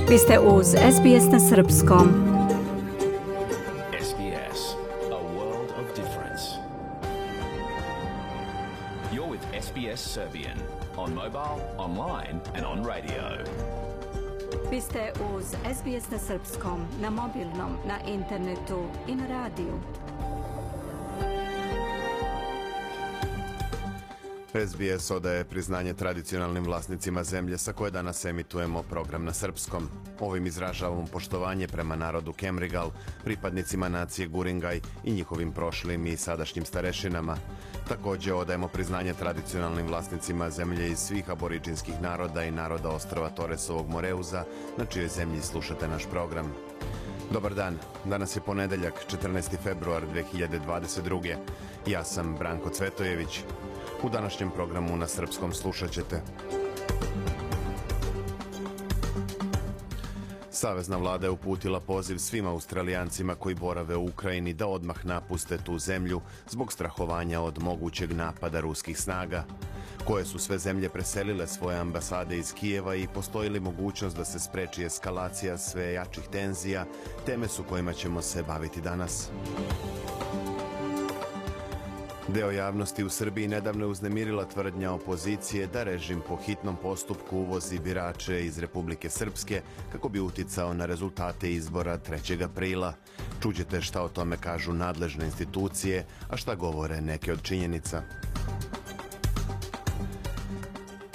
Vi ste uz SBS na srpskom. SBS, a world of difference. You're with SBS Serbian on mobile, online and on radio. Vi ste uz SBS na srpskom, na mobilnom, na internetu i na radiju. SBS odaje priznanje tradicionalnim vlasnicima zemlje sa koje danas emitujemo program na srpskom. Ovim izražavamo poštovanje prema narodu Kemrigal, pripadnicima nacije Guringaj i njihovim prošlim i sadašnjim starešinama. Također odajemo priznanje tradicionalnim vlasnicima zemlje iz svih aboriđinskih naroda i naroda ostrva Toresovog Moreuza, na čijoj zemlji slušate naš program. Dobar dan, danas je ponedeljak, 14. februar 2022. Ja sam Branko Cvetojević. U današnjem programu na srpskom slušat ćete: Savezna vlada je uputila poziv svim Australijancima koji borave u Ukrajini da odmah napuste tu zemlju zbog strahovanja od mogućeg napada ruskih snaga. Koje su sve zemlje preselile svoje ambasade iz Kijeva i postoji li mogućnost da se spreči eskalacija sve jačih tenzija, teme su kojima ćemo se baviti danas. Deo javnosti u Srbiji nedavno je uznemirila tvrdnja opozicije da režim po hitnom postupku uvozi birače iz Republike Srpske kako bi uticao na rezultate izbora 3. aprila. Čućete šta o tome kažu nadležne institucije, a šta govore neke od činjenica.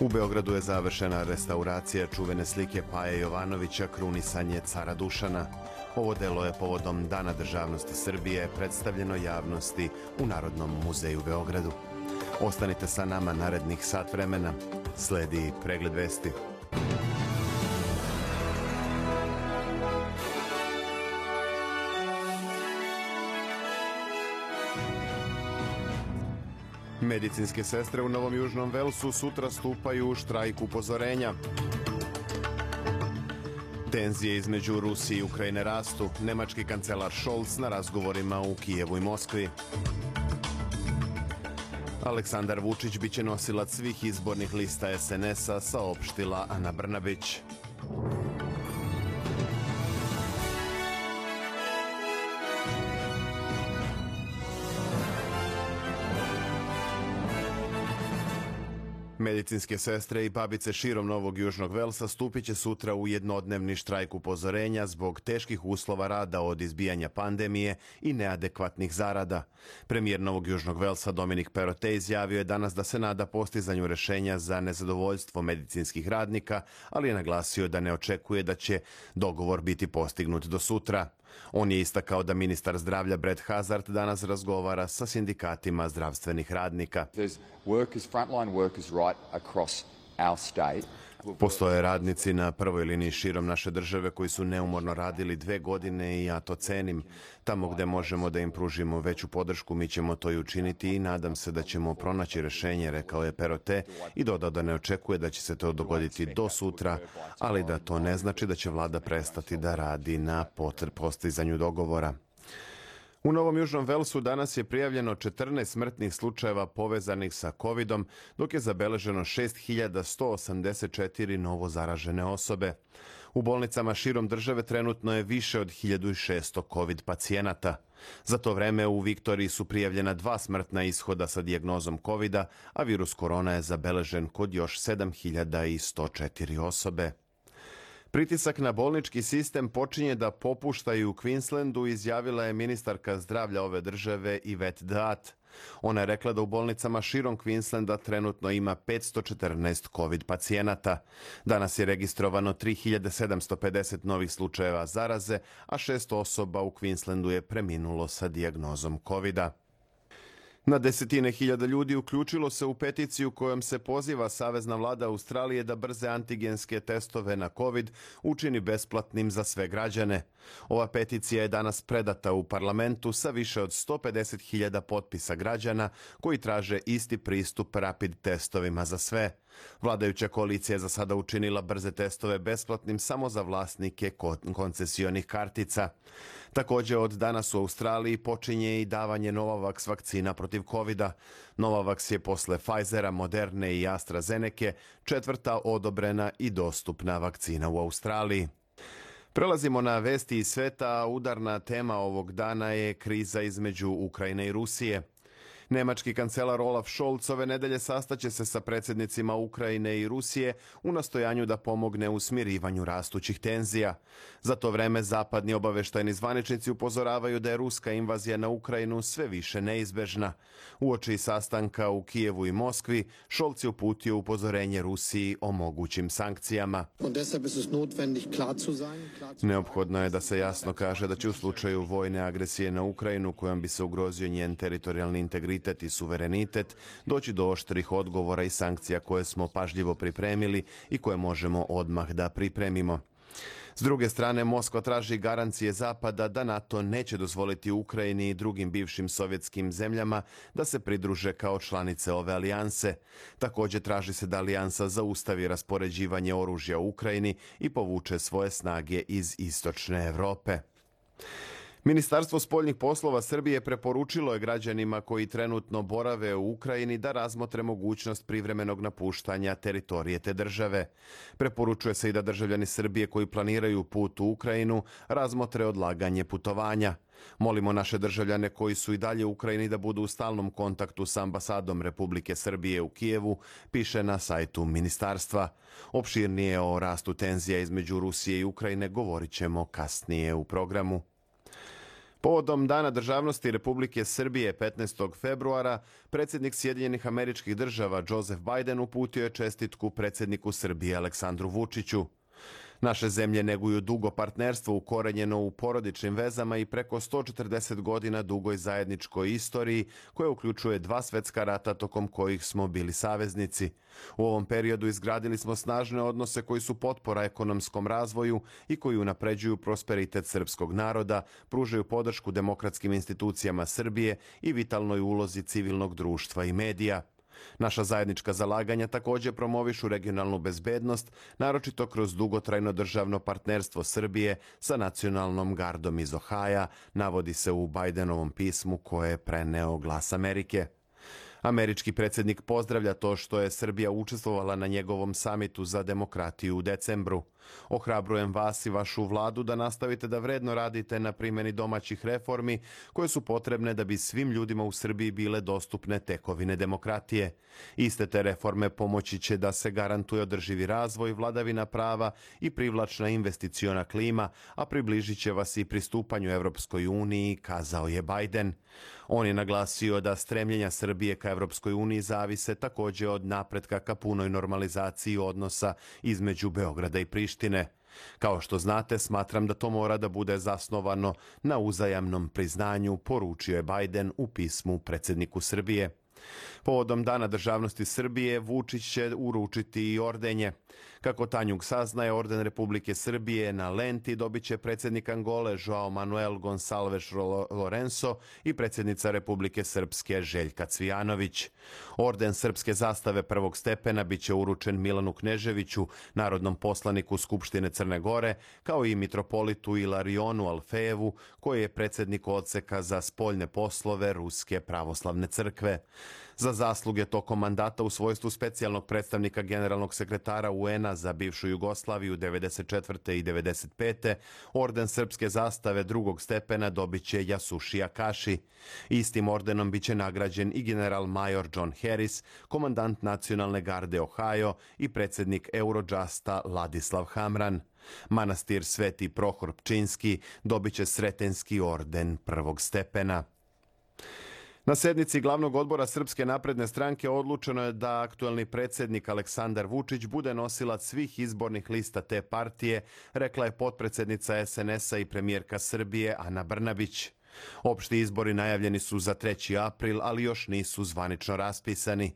U Beogradu je završena restauracija čuvene slike Paje Jovanovića Krunisanje cara Dušana. Ovo delo je povodom Dana državnosti Srbije predstavljeno javnosti u Narodnom muzeju u Beogradu. Ostanite sa nama narednih sat vremena. Sledi pregled vesti. Medicinske sestre u Novom Južnom Velsu sutra stupaju u štrajk upozorenja. Tenzije između Rusije i Ukrajine rastu. Nemački kancelar Scholz na razgovorima u Kijevu i Moskvi. Aleksandar Vučić biće nosilac svih izbornih lista SNS-a, saopštila Ana Brnabić. Medicinske sestre i babice širom Novog Južnog Velsa stupit će sutra u jednodnevni štrajk upozorenja zbog teških uslova rada od izbijanja pandemije i neadekvatnih zarada. Premijer Novog Južnog Velsa Dominik Perrottet izjavio je danas da se nada postizanju rešenja za nezadovoljstvo medicinskih radnika, ali je naglasio da ne očekuje da će dogovor biti postignut do sutra. On je istakao da ministar zdravlja Brett Hazard danas razgovara sa sindikatima zdravstvenih radnika. Postoje radnici na prvoj liniji širom naše države koji su neumorno radili 2 godine i ja to cenim. Tamo gde možemo da im pružimo veću podršku, mi ćemo to i učiniti i nadam se da ćemo pronaći rešenje, rekao je Perrottet i dodao da ne očekuje da će se to dogoditi do sutra, ali da to ne znači da će vlada prestati da radi na postizanju dogovora. U Novom Južnom Velsu danas je prijavljeno 14 smrtnih slučajeva povezanih sa COVID-om, dok je zabeleženo 6184 novo zaražene osobe. U bolnicama širom države trenutno je više od 1600 COVID pacijenata. Za to vreme u Viktoriji su prijavljena 2 smrtna ishoda sa dijagnozom COVID-a, a virus korona je zabeležen kod još 7104 osobe. Pritisak na bolnički sistem počinje da popušta i u Queenslandu, izjavila je ministarka zdravlja ove države Yvette D'Ath. Ona je rekla da u bolnicama širom Queenslanda trenutno ima 514 COVID pacijenata. Danas je registrovano 3750 novih slučajeva zaraze, a 6 osoba u Queenslandu je preminulo sa dijagnozom COVID-a. Na desetine hiljada ljudi uključilo se u peticiju kojom se poziva Savezna vlada Australije da brze antigenske testove na COVID učini besplatnim za sve građane. Ova peticija je danas predata u parlamentu sa više od 150.000 potpisa građana koji traže isti pristup rapid testovima za sve. Vladajuća koalicija je za sada učinila brze testove besplatnim samo za vlasnike koncesionih kartica. Također od danas u Australiji počinje i davanje Novavax vakcina protiv COVID-a. Novavax je posle Pfizera, Moderne i AstraZeneke 4. odobrena i dostupna vakcina u Australiji. Prelazimo na vesti iz sveta. Udarna tema ovog dana je kriza između Ukrajine i Rusije. Nemački kancelar Olaf Scholz ove nedelje sastaće se sa predsjednicima Ukrajine i Rusije u nastojanju da pomogne u smirivanju rastućih tenzija. Za to vreme zapadni obaveštajni zvaničnici upozoravaju da je ruska invazija na Ukrajinu sve više neizbežna. Uoči sastanka u Kijevu i Moskvi, Scholz je uputio upozorenje Rusiji o mogućim sankcijama. Neophodno je da se jasno kaže da će u slučaju vojne agresije na Ukrajinu, kojom bi se ugrozio njen teritorijalni integritet i suverenitet, doći do oštrih odgovora i sankcija koje smo pažljivo pripremili i koje možemo odmah da pripremimo. S druge strane, Moskva traži garancije Zapada da NATO neće dozvoliti Ukrajini i drugim bivšim sovjetskim zemljama da se pridruže kao članice ove alijanse. Također traži se da alijansa zaustavi raspoređivanje oružja u Ukrajini i povuče svoje snage iz istočne Europe. Ministarstvo spoljnih poslova Srbije preporučilo je građanima koji trenutno borave u Ukrajini da razmotre mogućnost privremenog napuštanja teritorije te države. Preporučuje se i da državljani Srbije koji planiraju put u Ukrajinu razmotre odlaganje putovanja. Molimo naše državljane koji su i dalje u Ukrajini da budu u stalnom kontaktu s ambasadom Republike Srbije u Kijevu, piše na sajtu ministarstva. Opširnije o rastu tenzija između Rusije i Ukrajine govorit ćemo kasnije u programu. Povodom Dana državnosti Republike Srbije 15. februara, predsjednik Sjedinjenih Američkih Država Joseph Biden uputio je čestitku predsjedniku Srbije Aleksandru Vučiću. Naše zemlje neguju dugo partnerstvo ukorenjeno u porodičnim vezama i preko 140 godina dugoj zajedničkoj istoriji koja uključuje 2 svjetska rata tokom kojih smo bili saveznici. U ovom periodu izgradili smo snažne odnose koji su potpora ekonomskom razvoju i koji unapređuju prosperitet srpskog naroda, pružaju podršku demokratskim institucijama Srbije i vitalnoj ulozi civilnog društva i medija. Naša zajednička zalaganja također promovišu regionalnu bezbednost, naročito kroz dugotrajno državno partnerstvo Srbije sa nacionalnom gardom iz Ohaja, navodi se u Bidenovom pismu koje je preneo Glas Amerike. Američki predsjednik pozdravlja to što je Srbija učestvovala na njegovom samitu za demokratiju u decembru. Ohrabrujem vas i vašu vladu da nastavite da vredno radite na primjeni domaćih reformi koje su potrebne da bi svim ljudima u Srbiji bile dostupne tekovine demokratije. Iste te reforme pomoći će da se garantuje održivi razvoj, vladavina prava i privlačna investiciona klima, a približit će vas i pristupanju Evropskoj uniji, kazao je Biden. On je naglasio da stremljenja Srbije ka Evropskoj uniji zavise također od napretka ka punoj normalizaciji odnosa između Beograda i Prištine. Kao što znate, smatram da to mora da bude zasnovano na uzajamnom priznanju, poručio je Biden u pismu predsjedniku Srbije. Povodom Dana državnosti Srbije, Vučić će uručiti i ordenje. Kako Tanjug saznaje, orden Republike Srbije na lenti dobit će predsjednik Angole Joao Manuel Gonçalves Lourenço i predsjednica Republike Srpske Željka Cvijanović. Orden srpske zastave prvog stepena bit će uručen Milanu Kneževiću, narodnom poslaniku Skupštine Crne Gore, kao i mitropolitu Ilarionu Alfejevu, koji je predsjednik odseka za spoljne poslove Ruske pravoslavne crkve. Za zasluge tokom mandata u svojstvu specijalnog predstavnika generalnog sekretara UN-a za bivšu Jugoslaviju 1994. i 1995. orden srpske zastave drugog stepena dobit će Yasushi Akashi. Istim ordenom bit će nagrađen i general major John Harris, komandant nacionalne garde Ohio i predsjednik Eurojusta Ladislav Hamran. Manastir Sveti Prohor Pčinski dobit će Sretenski orden prvog stepena. Na sednici glavnog odbora Srpske napredne stranke odlučeno je da aktuelni predsjednik Aleksandar Vučić bude nosilac svih izbornih lista te partije, rekla je potpredsjednica SNS-a i premijerka Srbije Ana Brnabić. Opšti izbori najavljeni su za 3. april, ali još nisu zvanično raspisani.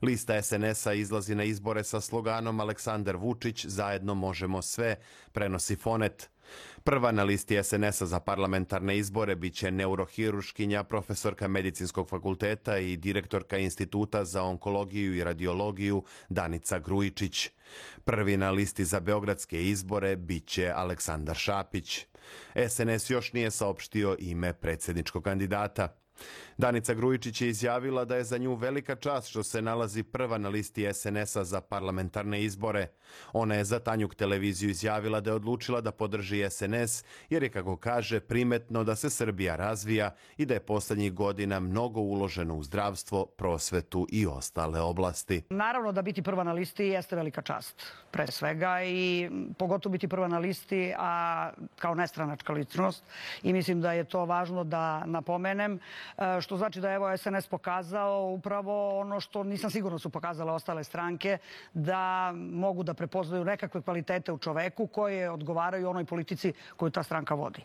Lista SNS-a izlazi na izbore sa sloganom Aleksandar Vučić, zajedno možemo sve, prenosi Fonet. Prva na listi SNS-a za parlamentarne izbore biće neurohiruškinja, profesorka medicinskog fakulteta i direktorka Instituta za onkologiju i radiologiju Danica Grujičić. Prvi na listi za beogradske izbore biće Aleksandar Šapić. SNS još nije saopštio ime predsjedničkog kandidata. Danica Grujičić je izjavila da je za nju velika čast što se nalazi prva na listi SNS-a za parlamentarne izbore. Ona je za Tanjuk televiziju izjavila da je odlučila da podrži SNS jer je, kako kaže, primetno da se Srbija razvija i da je posljednjih godina mnogo uloženo u zdravstvo, prosvetu i ostale oblasti. Naravno da biti prva na listi jeste velika čast, pre svega, i pogotovo biti prva na listi, a kao nestranačka ličnost. I mislim da je to važno da napomenem, što znači da je SNS pokazao upravo ono što nisam sigurno su pokazale ostale stranke, da mogu da prepoznaju nekakve kvalitete u čoveku koje odgovaraju onoj politici koju ta stranka vodi.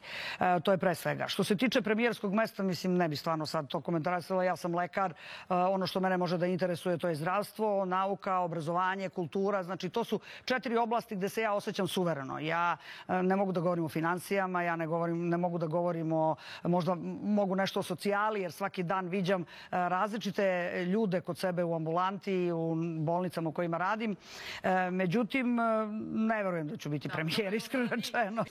To je pre svega. Što se tiče premijerskog mesta, mislim, ne bi stvarno sad to komentarisala. Ja sam lekar. Ono što mene može da interesuje to je zdravstvo, nauka, obrazovanje, kultura. Znači, to su 4 oblasti gde se ja osjećam suvereno. Ja ne mogu da govorim o finansijama, ja ne mogu da govorim o, možda mogu nešto o socijali, jer svaki dan viđam različite ljude kod sebe u ambulanti, u bolnicama u kojima radim. Međutim, ne verujem da ću biti premijer, iskreno rečeno.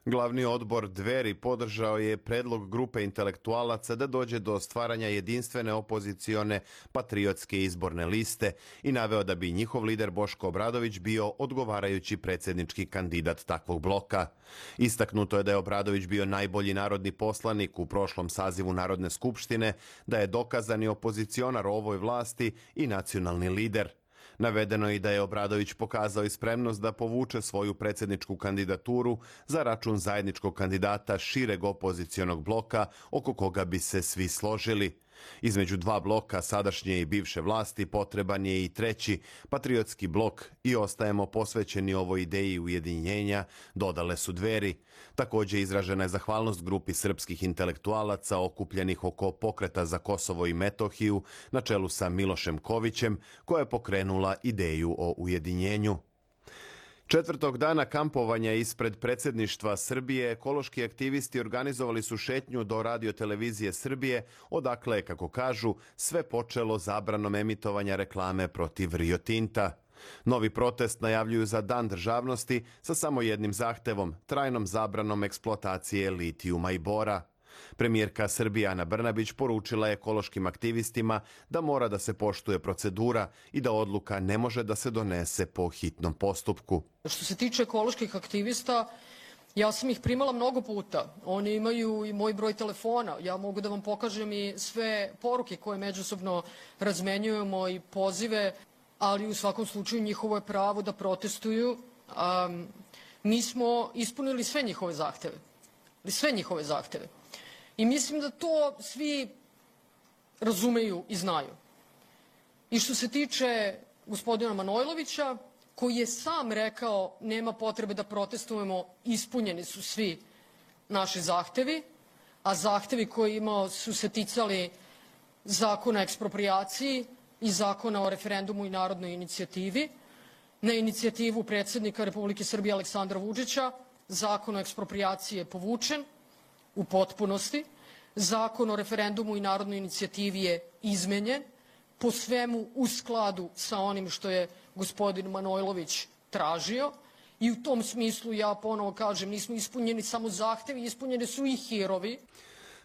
Glavni odbor Dveri podržao je predlog grupe intelektualaca da dođe do stvaranja jedinstvene opozicione patriotske izborne liste i naveo da bi njihov lider Boško Obradović bio odgovarajući predsjednički kandidat takvog bloka. Istaknuto je da je Obradović bio najbolji narodni poslanik u prošlom sazivu Narodne skupštine, da je dokazani opozicionar ovoj vlasti i nacionalni lider. Navedeno je i da je Obradović pokazao i spremnost da povuče svoju predsjedničku kandidaturu za račun zajedničkog kandidata šireg opozicionog bloka oko koga bi se svi složili. Između dva bloka, sadašnje i bivše vlasti, potreban je i treći, patriotski blok, i ostajemo posvećeni ovoj ideji ujedinjenja, dodale su Dveri. Također izražena je zahvalnost grupi srpskih intelektualaca okupljenih oko pokreta za Kosovo i Metohiju na čelu sa Milošem Kovićem, koja je pokrenula ideju o ujedinjenju. Četvrtog dana kampovanja ispred predsjedništva Srbije ekološki aktivisti organizovali su šetnju do radiotelevizije Srbije, odakle, kako kažu, sve počelo zabranom emitovanja reklame protiv Rio Tinta. Novi protest najavljuju za Dan državnosti sa samo jednim zahtevom, trajnom zabranom eksploatacije litijuma i bora. Premijerka Srbije Ana Brnabić poručila je ekološkim aktivistima da mora da se poštuje procedura i da odluka ne može da se donese po hitnom postupku. Što se tiče ekoloških aktivista, ja sam ih primala mnogo puta. Oni imaju i moj broj telefona. Ja mogu da vam pokažem i sve poruke koje međusobno razmenjujemo i pozive, ali u svakom slučaju njihovo je pravo da protestuju. Mi smo ispunili sve njihove zahteve. Sve njihove zahteve. I mislim da to svi razumeju i znaju. I što se tiče gospodina Manojlovića, koji je sam rekao nema potrebe da protestujemo, ispunjeni su svi naši zahtevi, a zahtevi koje imao su se ticali Zakona o eksproprijaciji i Zakona o referendumu i narodnoj inicijativi. Na inicijativu predsjednika Republike Srbije Aleksandra Vučića Zakon o eksproprijaciji je povučen u potpunosti. Zakon o referendumu i narodnoj inicijativi je izmenjen po svemu u skladu sa onim što je gospodin Manojlović tražio i u tom smislu ja ponovo kažem nismo ispunjeni samo zahtevi, ispunjeni su i hirovi.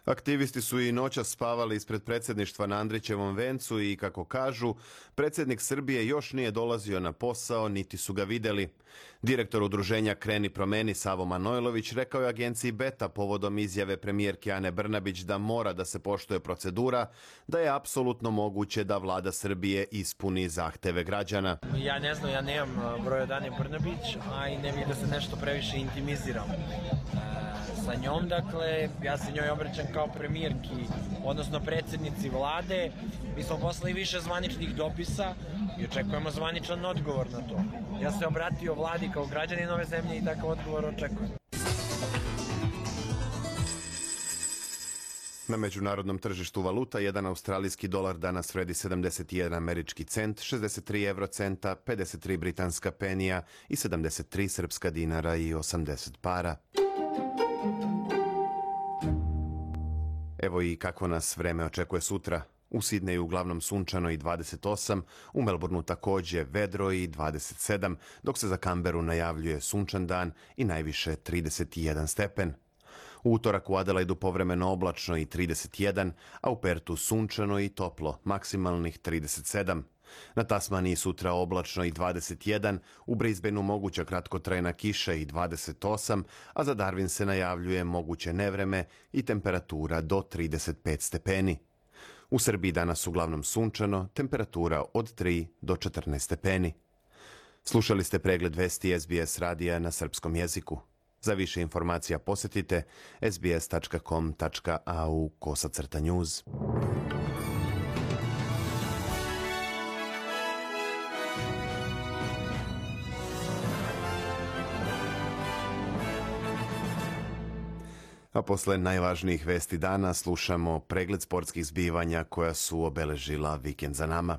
Aktivisti su i noćas spavali ispred predsjedništva na Andrićevom vencu i, kako kažu, predsjednik Srbije još nije dolazio na posao, niti su ga vidjeli. Direktor udruženja Kreni promeni Savo Manojlović rekao je agenciji Beta povodom izjave premijerke Ane Brnabić da mora da se poštuje procedura, da je apsolutno moguće da vlada Srbije ispuni zahteve građana. Ja ne znam, ja nemam broj od Ane Brnabić, a i ne bih da se nešto previše intimiziram sa njom. Dakle, ja se njoj obraćam kao premijerki, odnosno predsjednici vlade. Mi smo poslali više zvaničnih dopisa i očekujemo zvaničan odgovor na to. Ja se obratio vladi kao građanin ove zemlje i takav odgovor očekujem. Na međunarodnom tržištu valuta jedan australijski dolar danas vredi 71 američki cent, 63 eurocenta, 53 britanska penija i 73 srpska dinara i 80 para. Evo i kako nas vreme očekuje sutra. U Sidneju uglavnom sunčano i 28, u Melbourneu također vedro i 27, dok se za Canberu najavljuje sunčan dan i najviše 31 stepen. U utorak u Adelaidu povremeno oblačno i 31, a u Pertu sunčano i toplo, maksimalnih 37. Na Tasmaniji sutra oblačno i 21, u Brisbaneu moguća kratkotrajna kiša i 28, a za Darwin se najavljuje moguće nevreme i temperatura do 35 stepeni. U Srbiji danas uglavnom sunčano, temperatura od 3 do 14 stepeni. Slušali ste pregled vesti SBS radija na srpskom jeziku. Za više informacija posjetite sbs.com.au/news. A posle najvažnijih vesti dana slušamo pregled sportskih zbivanja koja su obeležila vikend za nama.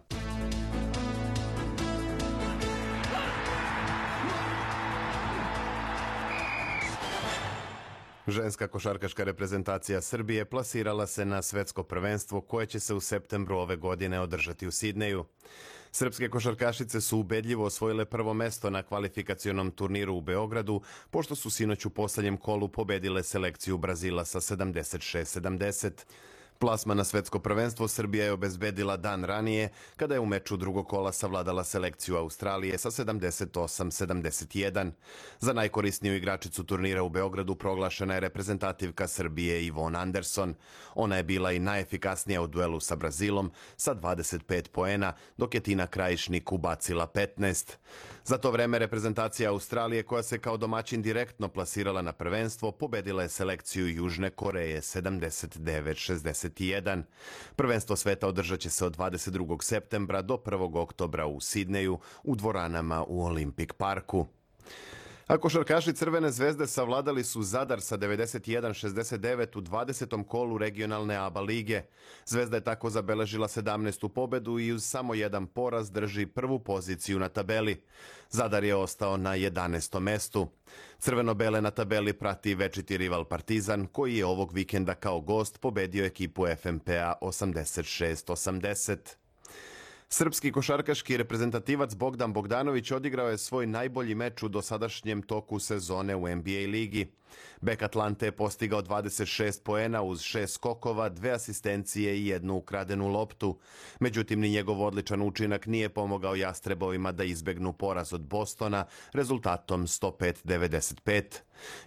Ženska košarkaška reprezentacija Srbije plasirala se na svetsko prvenstvo koje će se u septembru ove godine održati u Sidneju. Srpske košarkašice su ubedljivo osvojile prvo mesto na kvalifikacionom turniru u Beogradu, pošto su sinoć u poslednjem kolu pobedile selekciju Brazila sa 76-70. Plasman na svetsko prvenstvo Srbija je obezbedila dan ranije, kada je u meču drugog kola savladala selekciju Australije sa 78-71. Za najkorisniju igračicu turnira u Beogradu proglašena je reprezentativka Srbije Ivonne Anderson. Ona je bila i najefikasnija u duelu sa Brazilom sa 25 poena, dok je Tina Krajišnik ubacila 15. Za to vreme reprezentacija Australije, koja se kao domaćin direktno plasirala na prvenstvo, pobedila je selekciju Južne Koreje 79-61. Prvenstvo sveta održat će se od 22. septembra do 1. oktobra u Sidneju u dvoranama u Olympic parku. A košarkaši Crvene zvezde savladali su Zadar sa 91-69 u 20. kolu regionalne ABA lige. Zvezda je tako zabeležila 17. pobedu i uz samo jedan poraz drži prvu poziciju na tabeli. Zadar je ostao na 11. mestu. Crveno-bele na tabeli prati večiti rival Partizan, koji je ovog vikenda kao gost pobedio ekipu FNP-a 86-80. Srpski košarkaški reprezentativac Bogdan Bogdanović odigrao je svoj najbolji meč u dosadašnjem toku sezone u NBA ligi. Bek Atlante je postigao 26 poena uz 6 skokova, 2 asistencije i 1 ukradenu loptu. Međutim, ni njegov odličan učinak nije pomogao Jastrebovima da izbegnu poraz od Bostona rezultatom 105-95.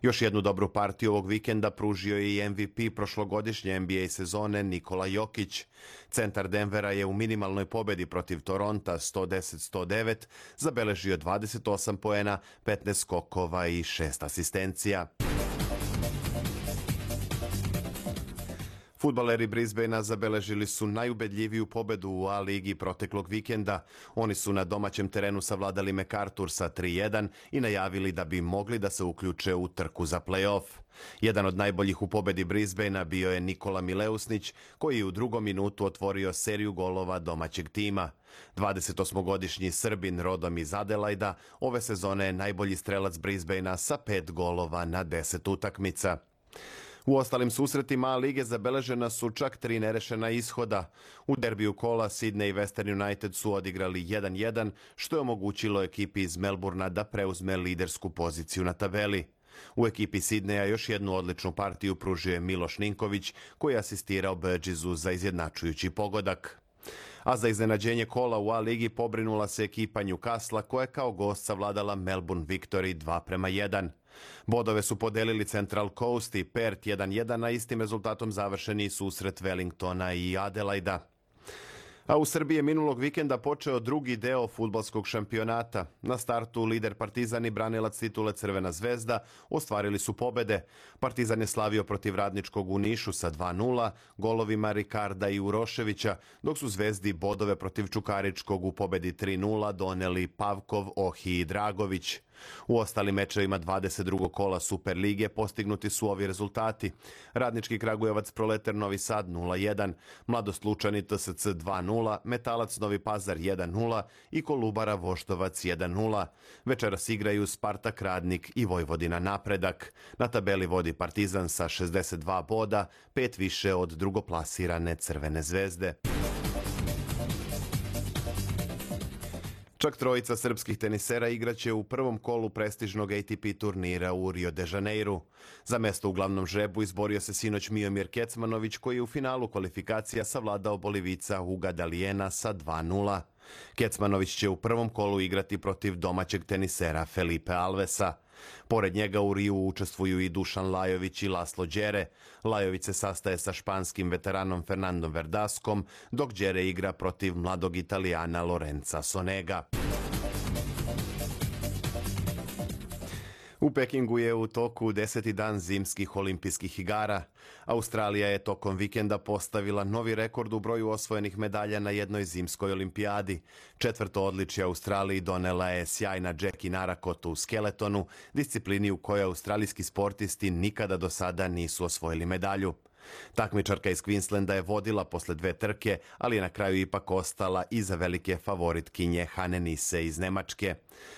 Još jednu dobru partiju ovog vikenda pružio je i MVP prošlogodišnje NBA sezone Nikola Jokić. Centar Denvera je u minimalnoj pobedi protiv Toronta 110-109 zabeležio 28 poena, 15 skokova i 6 asistencija. Fudbaleri Brisbanea zabeležili su najubedljiviju pobedu u A ligi proteklog vikenda. Oni su na domaćem terenu savladali MacArthur sa 3-1 i najavili da bi mogli da se uključe u trku za play-off. Jedan od najboljih u pobedi Brisbanea bio je Nikola Mileusnić, koji je u drugom minutu otvorio seriju golova domaćeg tima. 28-godišnji Srbin rodom iz Adelaida ove sezone je najbolji strelac Brisbanea sa 5 golova na 10 utakmica. U ostalim susretima A lige zabeležena su čak 3 nerešena ishoda. U derbiju kola Sydney i Western United su odigrali 1-1, što je omogućilo ekipi iz Melbourna da preuzme lidersku poziciju na tabeli. U ekipi Sidneja još jednu odličnu partiju pružio je Miloš Ninković, koji je asistirao Burgessu za izjednačujući pogodak. A za iznenađenje kola u A ligi pobrinula se ekipa Newcastle, koja je kao gost savladala Melbourne Victory 2-1. Bodove su podelili Central Coast i Perth 1-1, a istim rezultatom završeni susret Wellingtona i Adelaida. A u Srbiji je minulog vikenda počeo drugi deo fudbalskog šampionata. Na startu lider Partizan i branilac titule Crvena zvezda ostvarili su pobede. Partizan je slavio protiv Radničkog u Nišu sa 2-0, golovima Rikarda i Uroševića, dok su Zvezdi bodove protiv Čukaričkog u pobedi 3-0 doneli Pavkov, Ohi i Dragović. U ostalim mečevima 22. kola Superlige postignuti su ovi rezultati. Radnički Kragujevac Proletar Novi Sad 0-1, Mladost Lučani TSC 2-0, Metalac Novi Pazar 1-0 i Kolubara Voždovac 1-0. Večeras igraju Spartak Radnik i Vojvodina Napredak. Na tabeli vodi Partizan sa 62 boda, 5 više od drugoplasirane Crvene zvezde. Čak trojica srpskih tenisera igraće u prvom kolu prestižnog ATP turnira u Rio de Janeiru. Za mesto u glavnom žrebu izborio se sinoć Miomir Kecmanović, koji je u finalu kvalifikacija savladao Bolivica Huga Dalijena sa 2:0. Kecmanović će u prvom kolu igrati protiv domaćeg tenisera Felipe Alvesa. Pored njega u Riju učestvuju i Dušan Lajović i Laslo Đere. Lajović se sastaje sa španskim veteranom Fernandom Verdaskom, dok Đere igra protiv mladog Italijana Lorenza Sonega. U Pekingu je u toku 10. dan zimskih olimpijskih igara. Australija je tokom vikenda postavila novi rekord u broju osvojenih medalja na jednoj zimskoj olimpijadi. 4. odličje Australiji donela je sjajna Jackie Narakot u skeletonu, disciplini u kojoj australijski sportisti nikada do sada nisu osvojili medalju. Takmičarka iz Queenslanda je vodila posle 2 trke, ali je na kraju ipak ostala iza velike favoritkinje Hane Nisse iz Nemačke.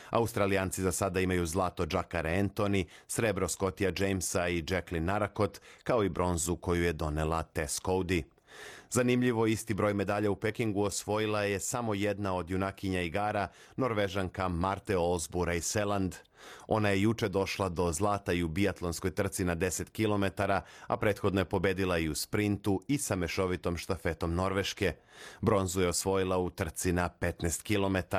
Australijanci za sada imaju zlato Jakare Anthony, srebro Scottija Jamesa i Jacqueline Narakot, kao i bronzu koju je donela Tess Cody. Zanimljivo, isti broj medalja u Pekingu osvojila je samo jedna od junakinja igara, Norvežanka Marte Olsbu Reiseland. Ona je juče došla do zlata i u biatlonskoj trci na 10 km, a prethodno je pobedila i u sprintu i sa mešovitom štafetom Norveške. Bronzu je osvojila u trci na 15 km.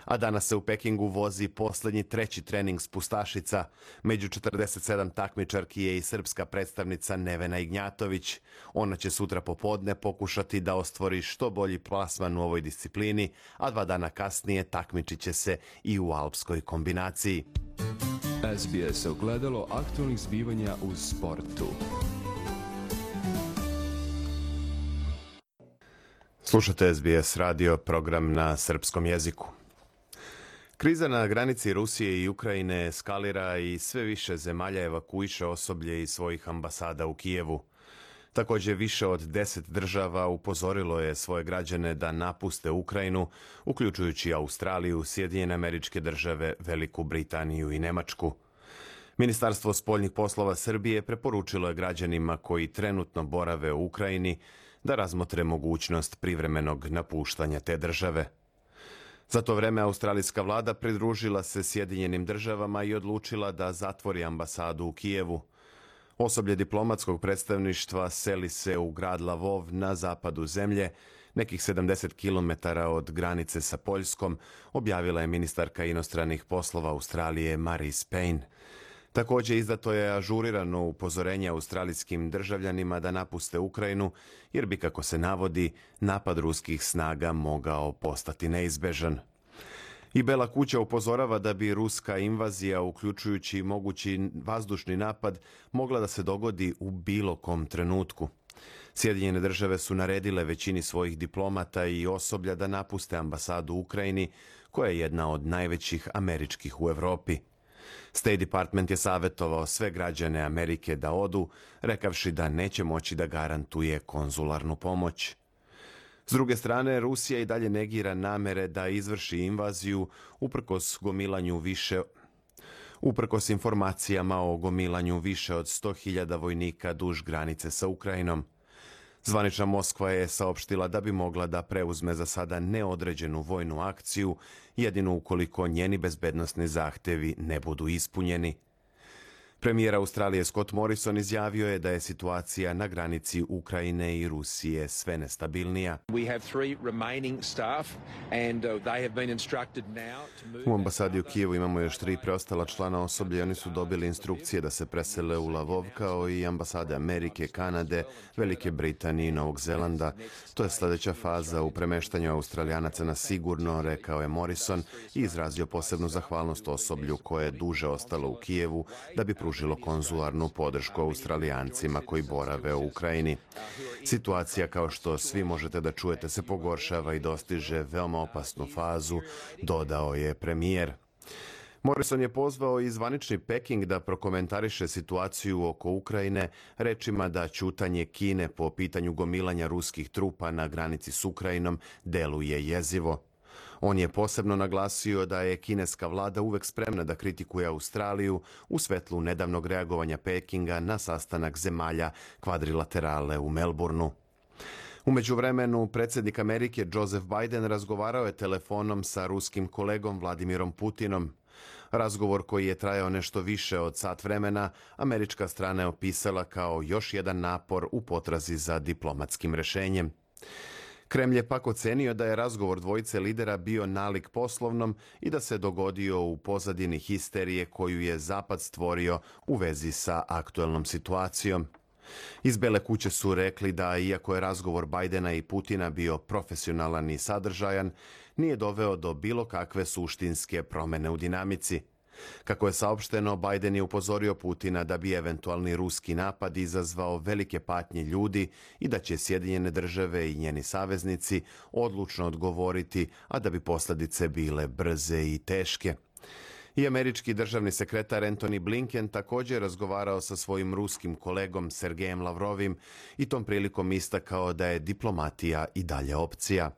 A danas se u Pekingu vozi poslednji 3. trening spustašica. Među 47 takmičarki je i srpska predstavnica Nevena Ignjatović. Ona će sutra popodne pokušati da ostvori što bolji plasman u ovoj disciplini, a 2 dana kasnije takmičit će se i u alpskoj kombinaciji. SBS ogledalo aktualnih zbivanja u sportu. Slušate SBS radio, program na srpskom jeziku. Kriza na granici Rusije i Ukrajine eskalira i sve više zemalja evakuiše osoblje iz svojih ambasada u Kijevu. Također, više od 10 država upozorilo je svoje građane da napuste Ukrajinu, uključujući Australiju, Sjedinjene Američke Države, Veliku Britaniju i Nemačku. Ministarstvo spoljnih poslova Srbije preporučilo je građanima koji trenutno borave u Ukrajini da razmotre mogućnost privremenog napuštanja te države. Za to vreme australijska vlada pridružila se Sjedinjenim državama i odlučila da zatvori ambasadu u Kijevu. Osoblje diplomatskog predstavništva seli se u grad Lavov na zapadu zemlje, nekih 70 km od granice sa Poljskom, objavila je ministarka inostranih poslova Australije Marise Payne. Također izdato je ažurirano upozorenje australijskim državljanima da napuste Ukrajinu, jer bi, kako se navodi, napad ruskih snaga mogao postati neizbežan. I Bela kuća upozorava da bi ruska invazija, uključujući mogući vazdušni napad, mogla da se dogodi u bilo kom trenutku. Sjedinjene države su naredile većini svojih diplomata i osoblja da napuste ambasadu u Ukrajini, koja je jedna od najvećih američkih u Evropi. State Department je savjetovao sve građane Amerike da odu, rekavši da neće moći da garantuje konzularnu pomoć. S druge strane, Rusija i dalje negira namere da izvrši invaziju uprkos informacijama o gomilanju više od 100.000 vojnika duž granice sa Ukrajinom. Zvanična Moskva je saopštila da bi mogla da preuzme za sada neodređenu vojnu akciju, jedino ukoliko njeni bezbednosni zahtevi ne budu ispunjeni. Premijer Australije Scott Morrison izjavio je da je situacija na granici Ukrajine i Rusije sve nestabilnija. U ambasadi u Kijevu imamo još 3 preostala člana osoblja i oni su dobili instrukcije da se presele u Lavov, kao i ambasade Amerike, Kanade, Velike Britanije i Novog Zelanda. To je sljedeća faza u premeštanju Australijanaca na sigurno, rekao je Morrison i izrazio posebnu zahvalnost osoblju koje je duže ostalo u Kijevu da bi pružilo konzularnu podršku Australijancima koji borave u Ukrajini. Situacija, kao što svi možete da čujete, se pogoršava i dostiže veoma opasnu fazu, dodao je premijer. Morrison je pozvao i zvanični Peking da prokomentariše situaciju oko Ukrajine rečima da ćutanje Kine po pitanju gomilanja ruskih trupa na granici s Ukrajinom deluje jezivo. On je posebno naglasio da je kineska vlada uvek spremna da kritikuje Australiju u svetlu nedavnog reagovanja Pekinga na sastanak zemalja kvadrilaterale u Melbourneu. U međuvremenu, predsjednik Amerike Joseph Biden razgovarao je telefonom sa ruskim kolegom Vladimirom Putinom. Razgovor koji je trajao nešto više od sat vremena, američka strana je opisala kao još jedan napor u potrazi za diplomatskim rešenjem. Kremlj je pak ocenio da je razgovor dvojice lidera bio nalik poslovnom i da se dogodio u pozadini histerije koju je Zapad stvorio u vezi sa aktuelnom situacijom. Iz Bele kuće su rekli da, iako je razgovor Bajdena i Putina bio profesionalan i sadržajan, nije doveo do bilo kakve suštinske promene u dinamici. Kako je saopšteno, Bajden je upozorio Putina da bi eventualni ruski napad izazvao velike patnje ljudi i da će Sjedinjene države i njeni saveznici odlučno odgovoriti, a da bi posljedice bile brze i teške. I američki državni sekretar Antony Blinken također razgovarao sa svojim ruskim kolegom Sergejem Lavrovim i tom prilikom istakao da je diplomatija i dalje opcija.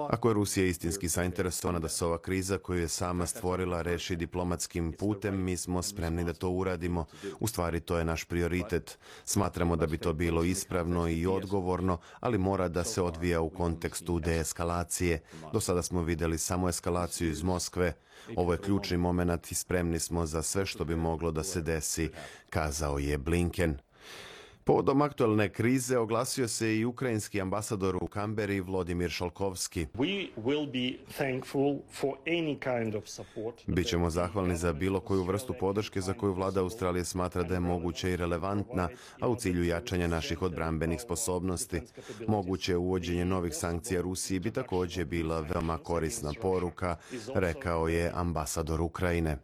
Ako je Rusija istinski zainteresovana da se ova kriza koju je sama stvorila reši diplomatskim putem, mi smo spremni da to uradimo. U stvari to je naš prioritet. Smatramo da bi to bilo ispravno i odgovorno, ali mora da se odvija u kontekstu deeskalacije. Do sada smo vidjeli samo eskalaciju iz Moskve. Ovo je ključni moment i spremni smo za sve što bi moglo da se desi, kazao je Blinken. Povodom aktualne krize oglasio se i ukrajinski ambasador u Kamberi Vladimir Šalkovski. Bićemo zahvalni za bilo koju vrstu podrške za koju vlada Australije smatra da je moguća i relevantna, a u cilju jačanja naših odbrambenih sposobnosti. Moguće uvođenje novih sankcija Rusiji bi također bila veoma korisna poruka, rekao je ambasador Ukrajine.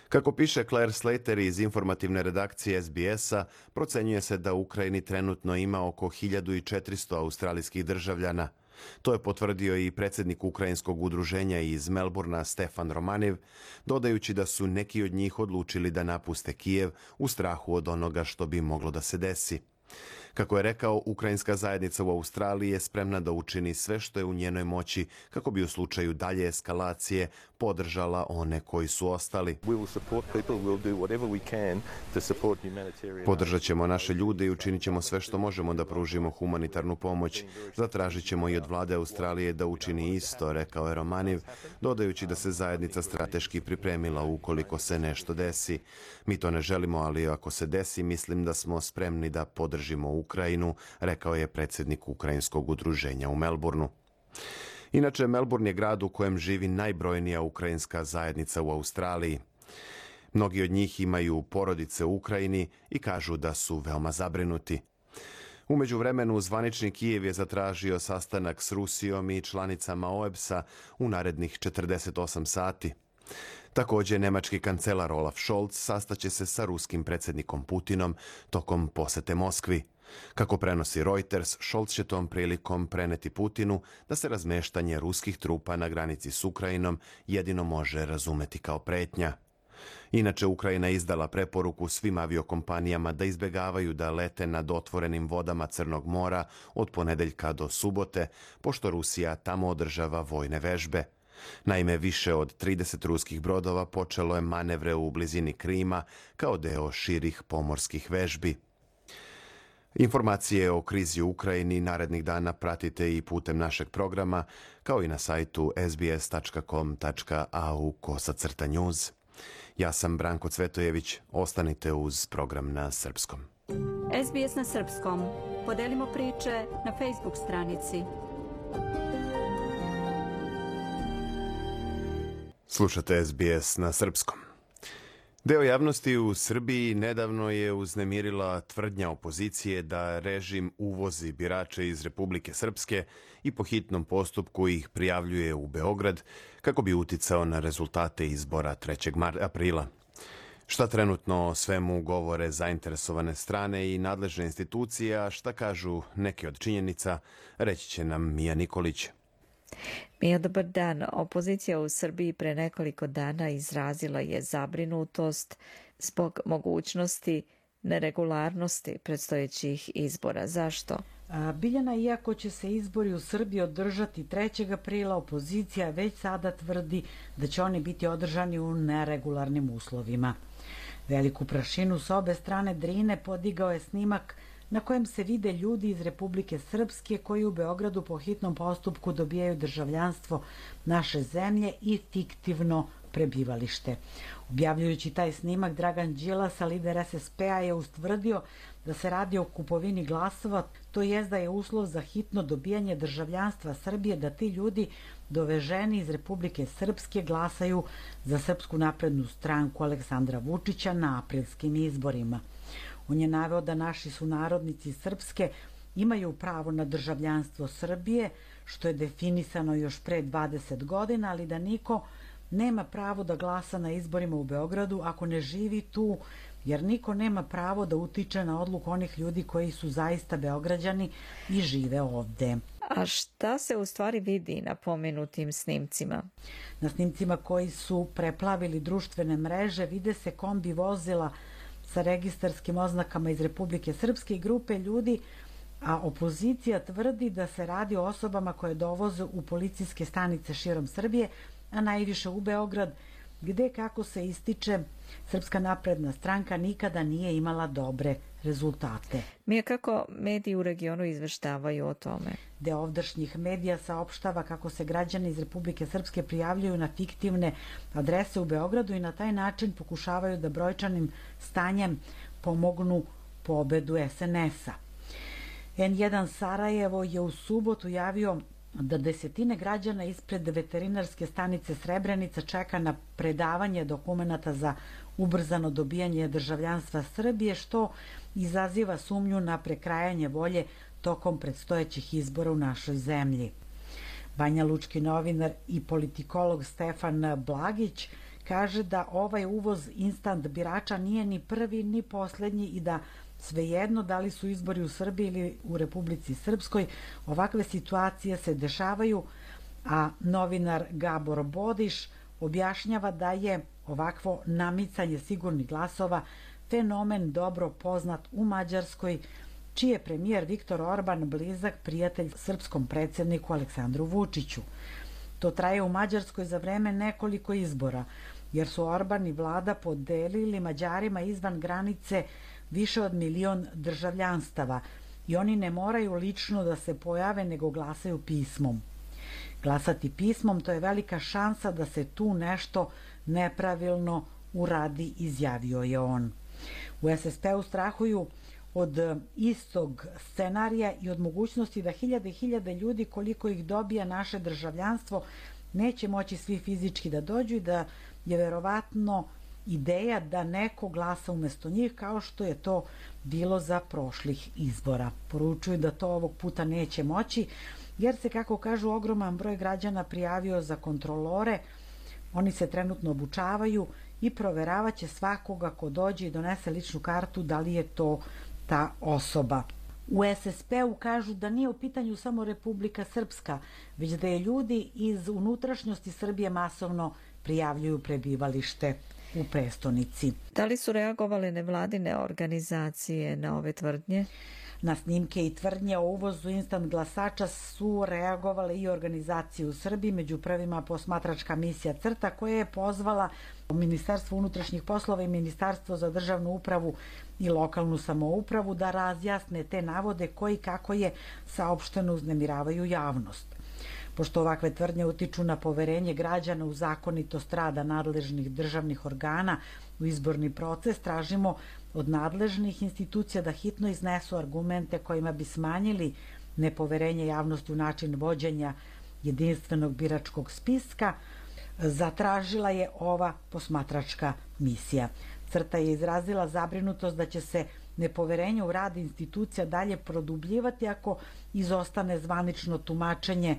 Kako piše Claire Slater iz informativne redakcije SBS-a, procenjuje se da u Ukrajini trenutno ima oko 1400 australijskih državljana. To je potvrdio i predsjednik ukrajinskog udruženja iz Melbourna Stefan Romanev, dodajući da su neki od njih odlučili da napuste Kijev u strahu od onoga što bi moglo da se desi. Kako je rekao, ukrajinska zajednica u Australiji je spremna da učini sve što je u njenoj moći kako bi u slučaju dalje eskalacije podržala one koji su ostali. Podržat ćemo naše ljude i učinit ćemo sve što možemo da pružimo humanitarnu pomoć. Zatražit ćemo i od vlade Australije da učini isto, rekao je Romanev, dodajući da se zajednica strateški pripremila ukoliko se nešto desi. Mi to ne želimo, ali ako se desi, mislim da smo spremni da podržimo Ukrajinu, rekao je predsjednik ukrajinskog udruženja u Melbourneu. Inače, Melbourne je grad u kojem živi najbrojnija ukrajinska zajednica u Australiji. Mnogi od njih imaju porodice u Ukrajini i kažu da su veoma zabrinuti. U međuvremenu, zvanični Kijev je zatražio sastanak s Rusijom i članicama OEBS-a u narednih 48 sati. Također, nemački kancelar Olaf Scholz sastaće se sa ruskim predsjednikom Putinom tokom posete Moskvi. Kako prenosi Reuters, Scholz će tom prilikom preneti Putinu da se razmeštanje ruskih trupa na granici s Ukrajinom jedino može razumeti kao pretnja. Inače, Ukrajina je izdala preporuku svim aviokompanijama da izbjegavaju da lete nad otvorenim vodama Crnog mora od ponedeljka do subote, pošto Rusija tamo održava vojne vežbe. Naime, više od 30 ruskih brodova počelo je manevre u blizini Krima kao deo širih pomorskih vežbi. Informacije o krizi u Ukrajini narednih dana pratite i putem našeg programa, kao i na sajtu sbs.com.au/news. Ja sam Branko Cvetojević, ostanite uz program na srpskom. SBS na srpskom. Podelimo priče na Facebook stranici. Slušate SBS na srpskom. Deo javnosti u Srbiji nedavno je uznemirila tvrdnja opozicije da režim uvozi birače iz Republike Srpske i po hitnom postupku ih prijavljuje u Beograd kako bi uticao na rezultate izbora 3. aprila. Šta trenutno o svemu govore zainteresovane strane i nadležne institucije, a šta kažu neke od činjenica, reći će nam Mija Nikolić. Mija, dobar dan. Opozicija u Srbiji pre nekoliko dana izrazila je zabrinutost zbog mogućnosti neregularnosti predstojećih izbora. Zašto? Biljana, iako će se izbori u Srbiji održati 3. aprila, opozicija već sada tvrdi da će oni biti održani u neregularnim uslovima. Veliku prašinu sa obe strane Drine podigao je snimak na kojem se vide ljudi iz Republike Srpske koji u Beogradu po hitnom postupku dobijaju državljanstvo naše zemlje i fiktivno prebivalište. Objavljujući taj snimak, Dragan Đilas, lider SSP-a, je ustvrdio da se radi o kupovini glasova, to jest da je uslov za hitno dobijanje državljanstva Srbije da ti ljudi doveženi iz Republike Srpske glasaju za Srpsku naprednu stranku Aleksandra Vučića na aprilskim izborima. On je naveo da naši sunarodnici Srpske imaju pravo na državljanstvo Srbije, što je definisano još pre 20 godina, ali da niko nema pravo da glasa na izborima u Beogradu ako ne živi tu, jer niko nema pravo da utiče na odluku onih ljudi koji su zaista Beograđani i žive ovde. A šta se u stvari vidi na pomenutim snimcima? Na snimcima koji su preplavili društvene mreže vide se kombi vozila sa registarskim oznakama iz Republike Srpske i grupe ljudi, a opozicija tvrdi da se radi o osobama koje dovoze u policijske stanice širom Srbije, a najviše u Beograd, gde, kako se ističe, Srpska napredna stranka nikada nije imala dobre rezultate. Mija, kako mediji u regionu izveštavaju o tome? Deo ovdašnjih medija saopštava kako se građani iz Republike Srpske prijavljuju na fiktivne adrese u Beogradu i na taj način pokušavaju da brojčanim stanjem pomognu pobedu SNS-a. N1 Sarajevo je u subotu javio da desetine građana ispred veterinarske stanice Srebrenica čeka na predavanje dokumenata za ubrzano dobijanje državljanstva Srbije, što izaziva sumnju na prekrajanje volje tokom predstojećih izbora u našoj zemlji. Banja Lučki novinar i politikolog Stefan Blagić kaže da ovaj uvoz instant birača nije ni prvi ni poslednji i da svejedno da li su izbori u Srbiji ili u Republici Srpskoj, ovakve situacije se dešavaju, a novinar Gabor Bodiš objašnjava da je ovakvo namicanje sigurnih glasova fenomen dobro poznat u Mađarskoj, čiji je premijer Viktor Orban blizak prijatelj srpskom predsjedniku Aleksandru Vučiću. To traje u Mađarskoj za vreme nekoliko izbora, jer su Orban i vlada podelili Mađarima izvan granice više od 1 milion državljanstava i oni ne moraju lično da se pojave, nego glasaju pismom. Glasati pismom, to je velika šansa da se tu nešto nepravilno uradi, izjavio je on. U SSP-u strahuju od istog scenarija i od mogućnosti da hiljade i hiljade ljudi, koliko ih dobija naše državljanstvo, neće moći svi fizički da dođu i da je verovatno ideja da neko glasa umesto njih, kao što je to bilo za prošlih izbora. Poručuju da to ovog puta neće moći, jer se, kako kažu, ogroman broj građana prijavio za kontrolore. Oni se trenutno obučavaju i proveravaće svakoga ko dođe i donese ličnu kartu da li je to ta osoba. U SSP-u kažu da nije u pitanju samo Republika Srpska, već da je ljudi iz unutrašnjosti Srbije masovno prijavljuju prebivalište u prestonici. Da li su reagovale nevladine organizacije na ove tvrdnje? Na snimke i tvrdnje o uvozu instant glasača su reagovale i organizacije u Srbiji, među prvima posmatračka misija CRTA, koja je pozvala Ministarstvo unutrašnjih poslova i Ministarstvo za državnu upravu i lokalnu samoupravu da razjasne te navode koji, kako je saopšteno, uznemiravaju javnost. Pošto ovakve tvrdnje utiču na poverenje građana u zakonitost rada nadležnih državnih organa u izborni proces, tražimo od nadležnih institucija da hitno iznesu argumente kojima bi smanjili nepoverenje javnosti u način vođenja jedinstvenog biračkog spiska, zatražila je ova posmatračka misija. CRTA je izrazila zabrinutost da će se nepoverenje u rad institucija dalje produbljivati ako izostane zvanično tumačenje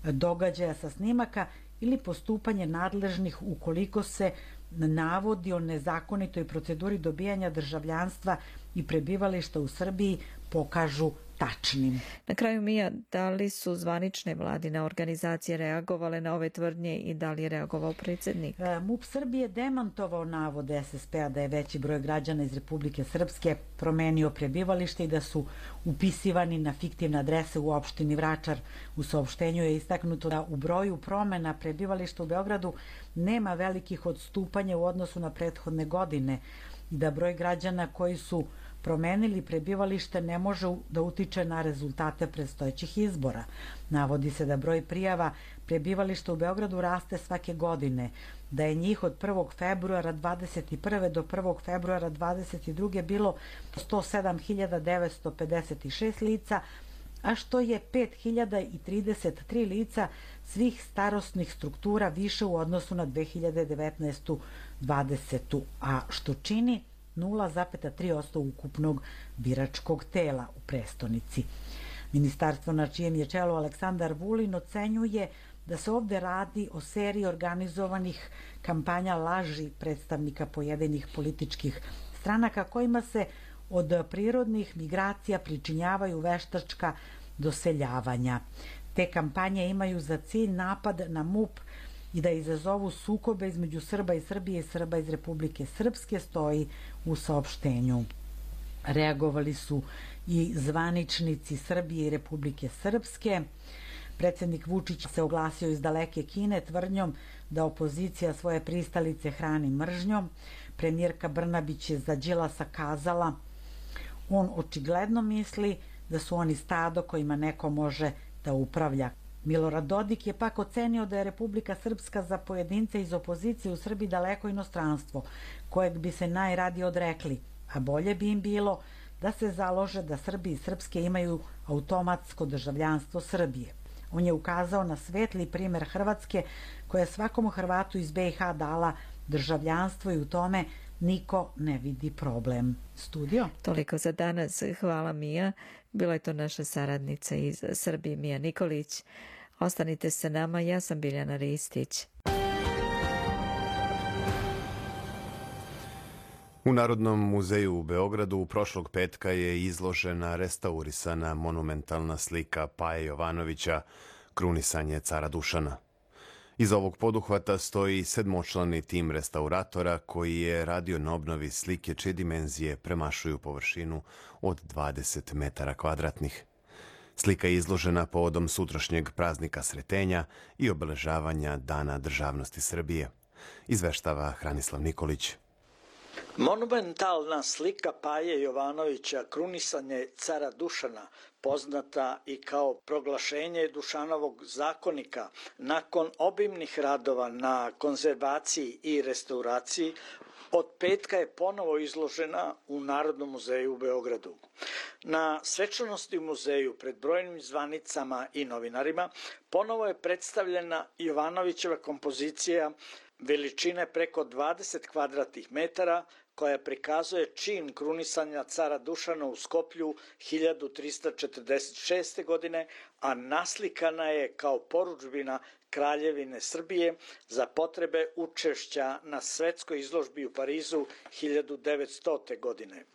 događaja sa snimaka ili postupanje nadležnih ukoliko se navodi o nezakonitoj proceduri dobijanja državljanstva i prebivališta u Srbiji pokažu tačnim. Na kraju, Mija, da li su zvanične vladine organizacije reagovale na ove tvrdnje i da li je reagovao predsjednik? MUP Srbije demantovao navode SSP-a da je veći broj građana iz Republike Srpske promenio prebivalište i da su upisivani na fiktivne adrese u opštini Vračar. U saopštenju je istaknuto da u broju promena prebivališta u Beogradu nema velikih odstupanja u odnosu na prethodne godine. i da broj građana koji su promenili prebivalište ne može da utiče na rezultate predstojećih izbora. Navodi se da broj prijava prebivališta u Beogradu raste svake godine, da je njih od 1. februara 21. do 1. februara 22. bilo 107.956 lica, a što je 5.033 lica svih starosnih struktura više u odnosu na 2019. 20. a što čini 0,3% ukupnog biračkog tela u prestonici. Ministarstvo na čijem je čelu Aleksandar Vulin ocenjuje da se ovde radi o seriji organizovanih kampanja laži predstavnika pojedinih političkih stranaka kojima se od prirodnih migracija pričinjavaju veštačka doseljavanja. Te kampanje imaju za cilj napad na MUP i da izazovu sukobe između Srba iz Srbije i Srba iz Republike Srpske, stoji u saopštenju. Reagovali su i zvaničnici Srbije i Republike Srpske. Predsednik Vučić se oglasio iz daleke Kine tvrdnjom da opozicija svoje pristalice hrani mržnjom. Premijerka Brnabić je za Đilasa kazala: on očigledno misli da su oni stado kojima neko može da upravlja. Milorad Dodik je pak ocenio da je Republika Srpska za pojedince iz opozicije u Srbiji daleko inostranstvo, kojeg bi se najradije odrekli, a bolje bi im bilo da se založe da Srbi i Srpske imaju automatsko državljanstvo Srbije. On je ukazao na svetli primer Hrvatske koja je svakom Hrvatu iz BiH dala državljanstvo i u tome niko ne vidi problem. Studio? Toliko za danas. Hvala Mija. Bila je to naša saradnica iz Srbije, Mija Nikolić. Ostanite sa nama, ja sam Biljana Ristić. U Narodnom muzeju u Beogradu prošlog petka je izložena restaurisana monumentalna slika Paje Jovanovića Krunisanje cara Dušana. Iza ovog poduhvata stoji sedmočlani tim restauratora koji je radio na obnovi slike čije dimenzije premašuju površinu od 20 metara kvadratnih. Slika je izložena povodom sutrašnjeg praznika Sretenja i obeležavanja Dana državnosti Srbije. Izveštava Hranislav Nikolić. Monumentalna slika Paje Jovanovića Krunisanje cara Dušana, poznata i kao proglašenje Dušanovog zakonika, nakon obimnih radova na konzervaciji i restauraciji, od petka je ponovo izložena u Narodnom muzeju u Beogradu. Na svečanosti u muzeju pred brojnim zvanicama i novinarima ponovo je predstavljena Jovanovićeva kompozicija veličine preko 20 kvadratnih metara, koja prikazuje čin krunisanja cara Dušana u Skoplju 1346. godine, a naslikana je kao porudžbina Kraljevine Srbije za potrebe učešća na svetskoj izložbi u Parizu 1900. godine.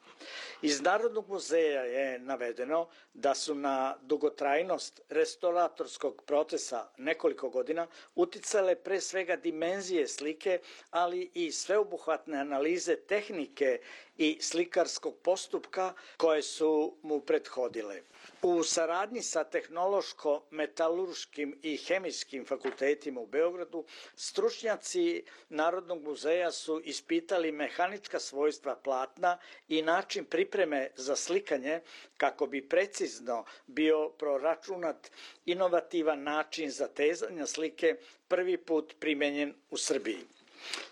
Iz Narodnog muzeja je navedeno da su na dugotrajnost restauratorskog procesa nekoliko godina uticale pre svega dimenzije slike, ali i sveobuhvatne analize tehnike i slikarskog postupka koje su mu prethodile. U saradnji sa tehnološko-metalurškim i hemijskim fakultetima u Beogradu, stručnjaci Narodnog muzeja su ispitali mehanička svojstva platna i način pripreme za slikanje kako bi precizno bio proračunat inovativan način zatezanja slike prvi put primenjen u Srbiji.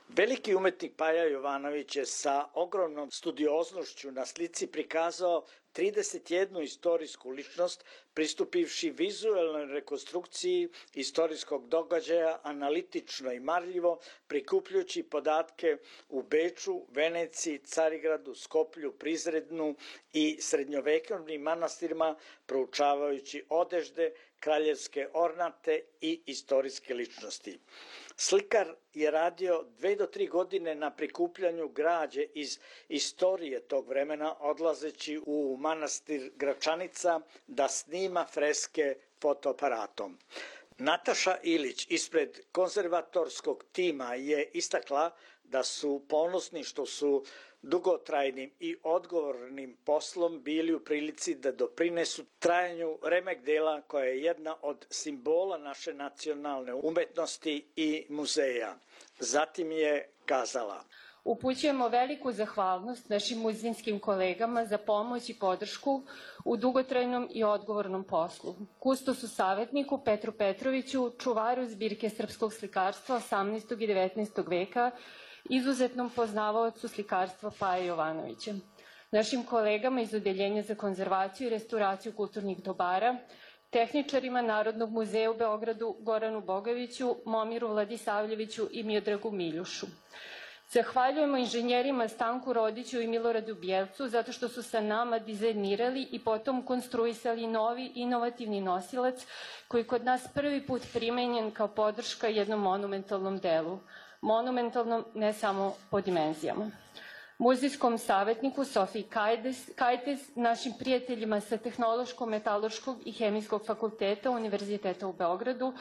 Veliki umetnik Paja Jovanović je sa ogromnom studioznošću na slici prikazao 31 istorijsku ličnost, pristupivši vizuelnoj rekonstrukciji istorijskog događaja analitično i marljivo, prikupljujući podatke u Beču, Veneciji, Carigradu, Skoplju, Prizrednu i srednjovekovnim manastirima, proučavajući odežde, kraljevske ornate i istorijske ličnosti. Slikar je radio 2 do 3 godine na prikupljanju građe iz istorije tog vremena, odlazeći u manastir Gračanica da snima freske fotoaparatom. Nataša Ilić ispred konzervatorskog tima je istakla da su ponosni što su dugotrajnim i odgovornim poslom bili u prilici da doprinesu trajanju remek dela koja je jedna od simbola naše nacionalne umetnosti i muzeja. Zatim je kazala: Upućujemo veliku zahvalnost našim muzejskim kolegama za pomoć i podršku u dugotrajnom i odgovornom poslu. Kustosu savjetniku Petru Petroviću, čuvaru zbirke srpskog slikarstva 18. i 19. veka, izuzetnom poznavaocu slikarstva Paje Jovanovića. Našim kolegama iz Odeljenja za konzervaciju i restauraciju kulturnih dobara, tehničarima Narodnog muzeja u Beogradu Goranu Bogoviću, Momiru Vladisavljeviću i Miodragu Miljušu. Zahvaljujemo inženjerima Stanku Rodiću i Miloradu Bjelcu zato što su sa nama dizajnirali i potom konstruisali novi inovativni nosilac koji kod nas prvi put primenjen kao podrška jednom monumentalnom delu. Monumentalnom ne samo po dimenzijama. Muzejskom savjetniku Sofiji Kajtes, našim prijateljima sa Tehnološko-metaloškog i Hemijskog fakulteta Univerziteta u Beogradu,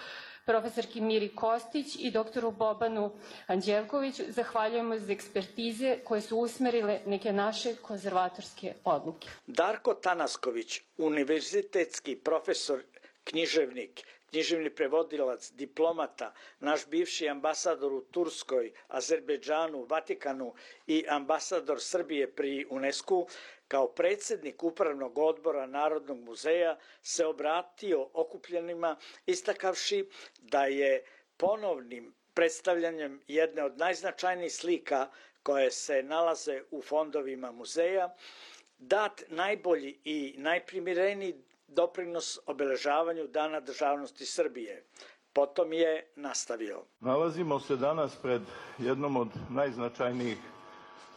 profesorki Miri Kostić i doktoru Bobanu Anđelkoviću zahvaljujemo za ekspertize koje su usmerile neke naše konzervatorske odluke. Darko Tanasković, univerzitetski profesor, književnik, književni prevodilac, diplomata, naš bivši ambasador u Turskoj, Azerbejdžanu, Vatikanu i ambasador Srbije pri UNESCO, kao predsjednik Upravnog odbora Narodnog muzeja se obratio okupljenima istakavši da je ponovnim predstavljanjem jedne od najznačajnijih slika koje se nalaze u fondovima muzeja dat najbolji i najprimireniji doprinos obeležavanju Dana državnosti Srbije. Potom je nastavio. Nalazimo se danas pred jednom od najznačajnijih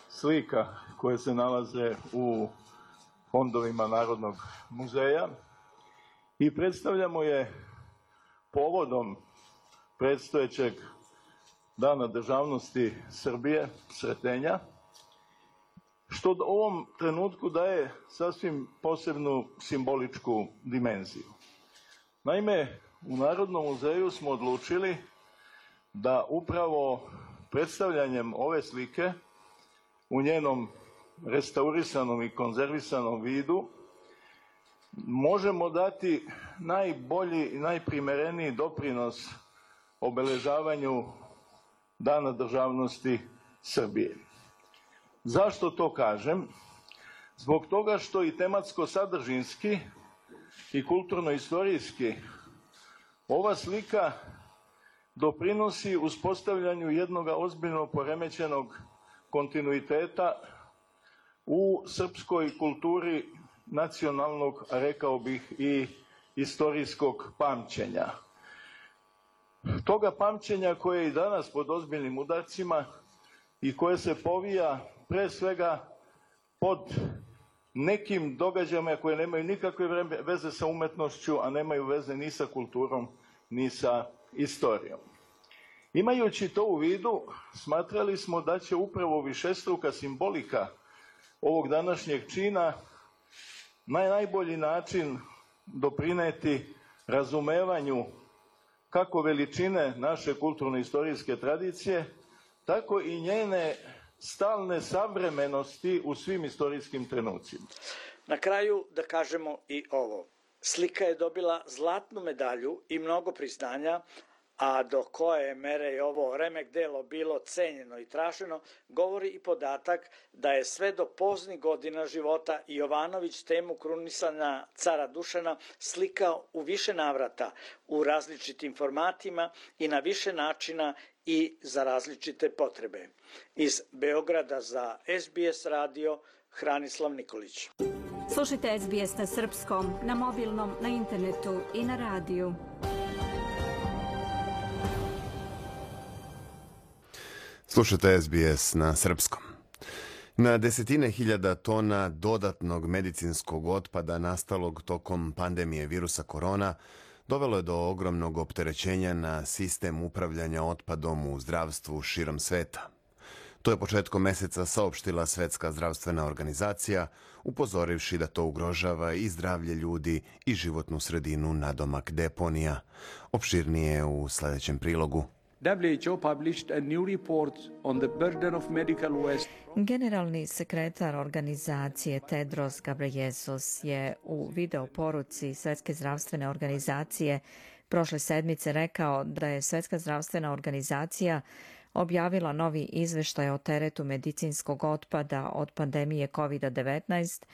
slika koje se nalaze u fondovima Narodnog muzeja i predstavljamo je povodom predstojećeg Dana državnosti Srbije, Sretenja, što u ovom trenutku daje sasvim posebnu simboličku dimenziju. Naime, u Narodnom muzeju smo odlučili da upravo predstavljanjem ove slike u njenom restaurisanom i konzervisanom vidu možemo dati najbolji i najprimereniji doprinos obeležavanju Dana državnosti Srbije. Zašto to kažem? Zbog toga što i tematsko-sadržinski i kulturno-istorijski ova slika doprinosi uspostavljanju jednog ozbiljno poremećenog kontinuiteta u srpskoj kulturi nacionalnog, a rekao bih i istorijskog pamćenja. Toga pamćenja koje je i danas pod ozbiljnim udarcima i koje se povija pre svega pod nekim događajima koje nemaju nikakve veze sa umetnošću, a nemaju veze ni sa kulturom, ni sa istorijom. Imajući to u vidu, smatrali smo da će upravo višestruka simbolika ovog današnjeg čina na najbolji način doprineti razumevanju kako veličine naše kulturno-istorijske tradicije, tako i njene stalne savremenosti u svim istorijskim trenucima. Na kraju da kažemo i ovo. Slika je dobila zlatnu medalju i mnogo priznanja, a do koje mere je ovo remek delo bilo cenjeno i traženo, govori i podatak da je sve do poznih godina života Jovanović temu krunisanja cara Dušana slikao u više navrata, u različitim formatima i na više načina i za različite potrebe. Iz Beograda za SBS radio, Hranislav Nikolić. Slušajte SBS na srpskom, na mobilnom, na internetu i na radiju. Slušajte SBS na srpskom. Na desetine hiljada tona dodatnog medicinskog otpada nastalog tokom pandemije virusa korona dovelo je do ogromnog opterećenja na sistem upravljanja otpadom u zdravstvu širom sveta. To je početkom meseca saopštila Svetska zdravstvena organizacija, upozorivši da to ugrožava i zdravlje ljudi i životnu sredinu nadomak deponija. Opširnije u sljedećem prilogu. WHO published a new report on the burden of medical waste. Generalni sekretar organizacije Tedros Ghebreyesus je u video poruci Svetske zdravstvene organizacije prošle sedmice rekao da je Svetska zdravstvena organizacija objavila novi izveštaj o teretu medicinskog otpada od pandemije COVID-19,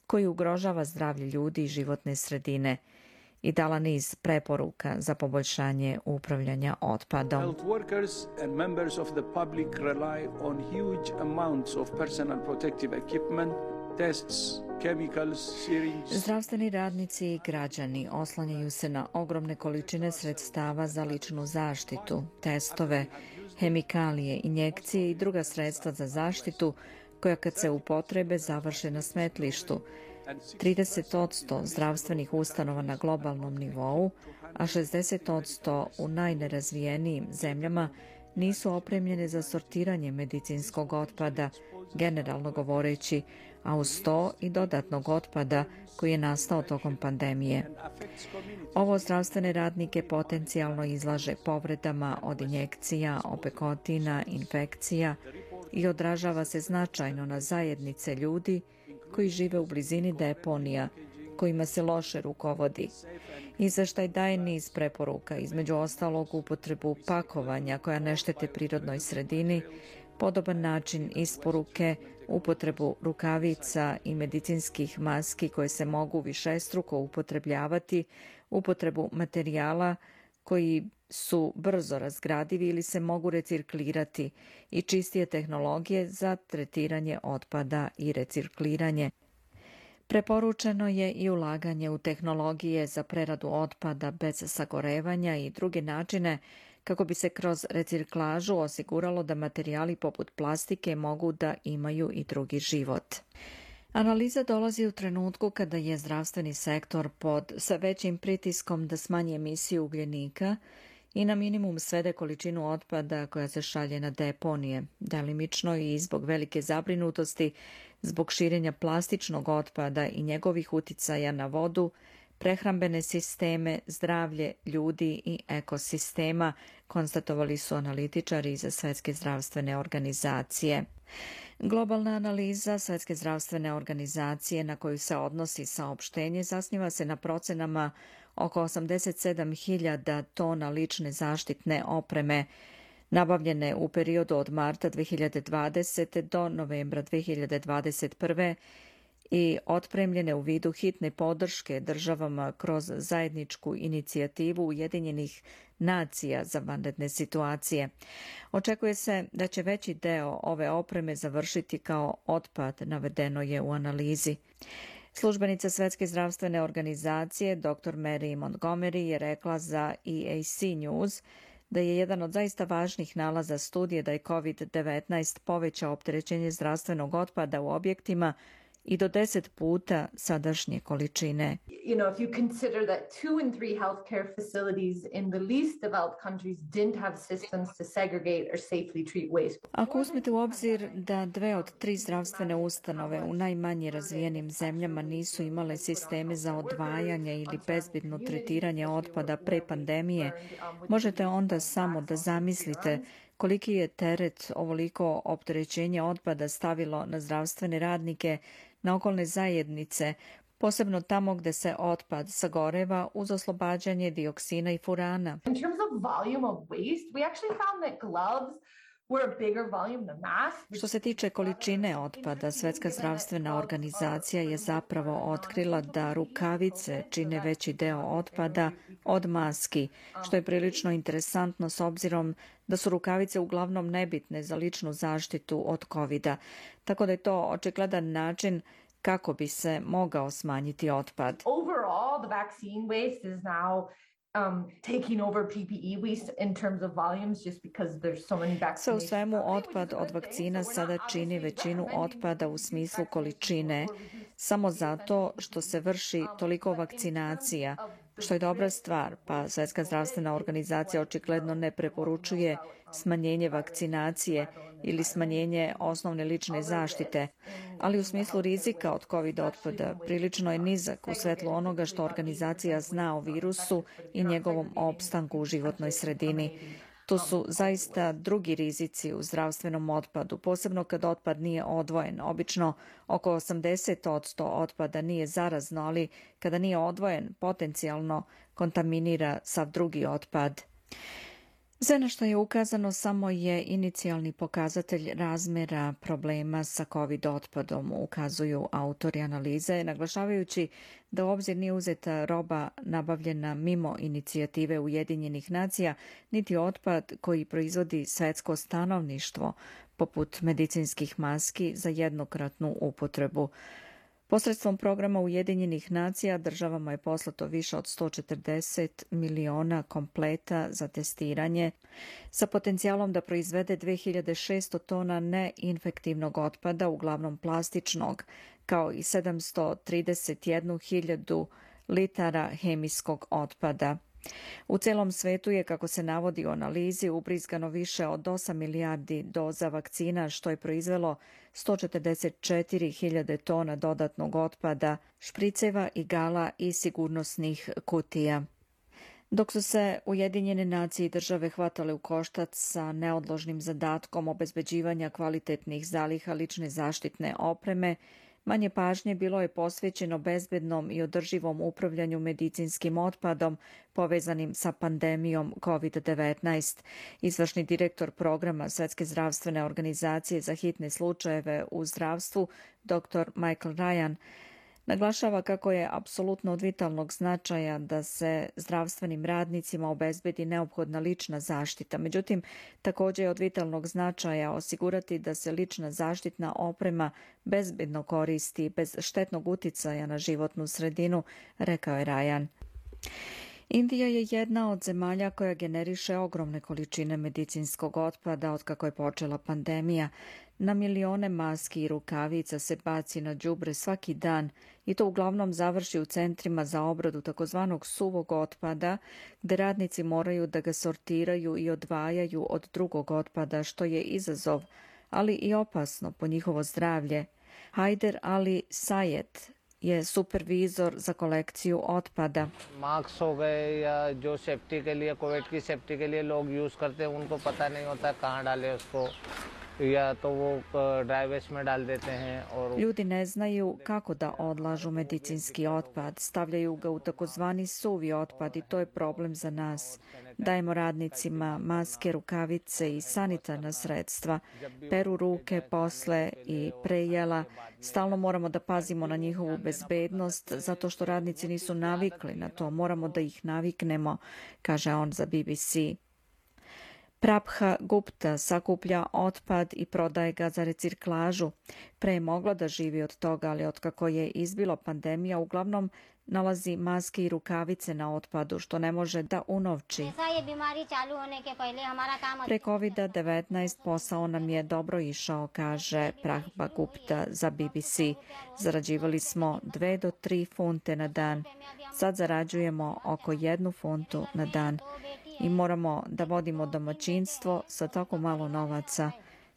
koji ugrožava zdravlje ljudi i životne sredine, i dala niz preporuka za poboljšanje upravljanja otpadom. Health workers and members of the public rely on huge amounts of personal protective equipment, tests, chemicals, syringes. Zdravstveni radnici i građani oslanjaju se na ogromne količine sredstava za ličnu zaštitu, testove, hemikalije, injekcije i druga sredstva za zaštitu koja kad se upotrebe završe na smetlištu. 30% zdravstvenih ustanova na globalnom nivou, a 60% u najnerazvijenijim zemljama nisu opremljene za sortiranje medicinskog otpada, generalno govoreći, a uz to i dodatnog otpada koji je nastao tokom pandemije. Ovo zdravstvene radnike potencijalno izlaže povredama od injekcija, opekotina, infekcija i odražava se značajno na zajednice ljudi koji žive u blizini deponija, kojima se loše rukovodi. Izveštaj daje niz preporuka, između ostalog upotrebu pakovanja koja ne štete prirodnoj sredini, podoban način isporuke, upotrebu rukavica i medicinskih maski koje se mogu višestruko upotrebljavati, upotrebu materijala koji su brzo razgradivi ili se mogu reciklirati i čistije tehnologije za tretiranje otpada i recikliranje. Preporučeno je i ulaganje u tehnologije za preradu otpada bez sagorevanja i druge načine kako bi se kroz reciklažu osiguralo da materijali poput plastike mogu da imaju i drugi život. Analiza dolazi u trenutku kada je zdravstveni sektor pod sve većim pritiskom da smanji emisiju ugljenika i na minimum svede količinu otpada koja se šalje na deponije, delimično i zbog velike zabrinutosti zbog širenja plastičnog otpada i njegovih uticaja na vodu, prehrambene sisteme, zdravlje ljudi i ekosistema, konstatovali su analitičari iz Svetske zdravstvene organizacije. Globalna analiza Svetske zdravstvene organizacije na koju se odnosi saopštenje zasniva se na procenama oko 87.000 tona lične zaštitne opreme, nabavljene u periodu od marta 2020. do novembra 2021. i otpremljene u vidu hitne podrške državama kroz zajedničku inicijativu Ujedinjenih nacija za vanredne situacije. Očekuje se da će veći deo ove opreme završiti kao otpad, navedeno je u analizi. Službenica Svetske zdravstvene organizacije dr. Mary Montgomery je rekla za EAC News da je jedan od zaista važnih nalaza studije da je COVID-19 povećao opterećenje zdravstvenog otpada u objektima i do 10 puta sadašnje količine. You know, if you consider that 2 in 3 healthcare facilities in the least developed countries didn't have systems to segregate or safely treat waste. Ako uzmete u obzir da 2 od 3 zdravstvene ustanove u najmanje razvijenim zemljama nisu imale sisteme za odvajanje ili bezbedno tretiranje otpada pre pandemije, možete onda samo da zamislite koliki je teret ovoliko opterećenja otpada stavilo na zdravstvene radnike, na okolne zajednice, posebno tamo gde se otpad sagoreva uz oslobađanje dioksina i furana. In terms of volume of waste, we actually found that gloves were a bigger volume than masks. Što se tiče količine otpada, Svetska zdravstvena organizacija je zapravo otkrila da rukavice čine veći deo otpada od maski, što je prilično interesantno s obzirom da su rukavice uglavnom nebitne za ličnu zaštitu od COVID-a, tako da je to očigledan način kako bi se mogao smanjiti otpad. Overall, the vaccine waste is now taking over PPE waste in terms of volumes just because there's so many vaccinations. Sve u svemu, otpad od vakcina sada čini većinu otpada u smislu količine, samo zato što se vrši toliko vakcinacija, što je dobra stvar, pa Svetska zdravstvena organizacija očigledno ne preporučuje smanjenje vakcinacije ili smanjenje osnovne lične zaštite, ali u smislu rizika od COVID otpada prilično je nizak u svetlu onoga što organizacija zna o virusu i njegovom opstanku u životnoj sredini. To su zaista drugi rizici u zdravstvenom otpadu, posebno kad otpad nije odvojen. Obično oko 80% otpada nije zarazno, ali kada nije odvojen, potencijalno kontaminira sav drugi otpad. Sve na što je ukazano samo je inicijalni pokazatelj razmjera problema sa COVID otpadom, ukazuju autori analize, naglašavajući da u obzir nije uzeta roba nabavljena mimo inicijative Ujedinjenih nacija, niti otpad koji proizvodi svetsko stanovništvo, poput medicinskih maski za jednokratnu upotrebu. Posredstvom programa Ujedinjenih nacija državama je poslato više od 140 miliona kompleta za testiranje sa potencijalom da proizvede 2600 tona neinfektivnog otpada, uglavnom plastičnog, kao i 731.000 litara hemijskog otpada. U celom svetu je, kako se navodi u analizi, ubrizgano više od 8 milijardi doza vakcina, što je proizvelo 144.000 tona dodatnog otpada, špriceva, igala i sigurnosnih kutija. Dok su se Ujedinjene nacije i države hvatale u koštac sa neodložnim zadatkom obezbeđivanja kvalitetnih zaliha lične zaštitne opreme, manje pažnje bilo je posvećeno bezbednom i održivom upravljanju medicinskim otpadom povezanim sa pandemijom COVID-19. Izvršni direktor programa Svetske zdravstvene organizacije za hitne slučajeve u zdravstvu, dr. Michael Ryan, naglašava kako je apsolutno od vitalnog značaja da se zdravstvenim radnicima obezbedi neophodna lična zaštita. Međutim, također je od vitalnog značaja osigurati da se lična zaštitna oprema bezbedno koristi bez štetnog uticaja na životnu sredinu, rekao je Ryan. Indija je jedna od zemalja koja generiše ogromne količine medicinskog otpada otkako je počela pandemija. Na milione maski i rukavica se baci na đubre svaki dan i to uglavnom završi u centrima za obradu takozvanog suvog otpada, gde radnici moraju da ga sortiraju i odvajaju od drugog otpada, što je izazov, ali i opasno po njihovo zdravlje. Haider Ali Sayed je supervizor za kolekciju otpada. Mask हो गए या जो सेफ्टी के लिए कोविड की सेफ्टी के लिए लोग यूज करते हैं उनको पता नहीं होता कहाँ डाले उसको या तो वो ड्राई वेस्ट में डाल देते हैं और Ljudi ne znaju kako da odlažu medicinski otpad, stavljaju ga u takozvani suvi otpad i to je problem za nas. Dajemo radnicima maske, rukavice i sanitarna sredstva, peru ruke posle i pre jela. Stalno moramo da pazimo na njihovu bezbednost zato što radnici nisu navikli na to, moramo da ih naviknemo, kaže on za BBC. Prabha Gupta sakuplja otpad i prodaje ga za reciklažu. Pre je mogla da živi od toga, ali otkako je izbila pandemija, uglavnom nalazi maske i rukavice na otpadu, što ne može da unovči. Pre COVID-19 posao nam je dobro išao, kaže Prabha Gupta za BBC. Zarađivali smo 2 do 3 funte na dan. Sad zarađujemo oko 1 funtu na dan. I moramo da vodimo domaćinstvo sa tako malo novaca.